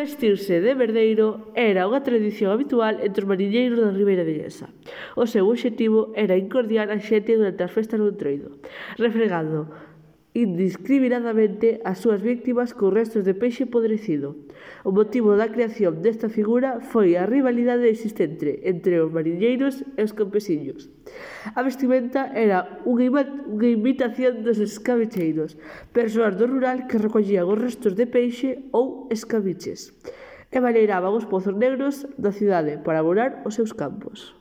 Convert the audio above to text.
Vestirse de verdeiro era unha tradición habitual entre os mariñeiros da Ribeira Viguesa. O seu obxectivo era incordiar a xente durante as festas do Entroido, refregando indiscriminadamente as súas víctimas con restos de peixe podrecido. O motivo da creación desta figura foi a rivalidade existente entre os mariñeiros e os campesiños. A vestimenta era unha imitación dos escabecheiros, persoas do rural que recollían os restos de peixe ou escabiches e baleiraban os pozos negros da cidade para abonar os seus campos.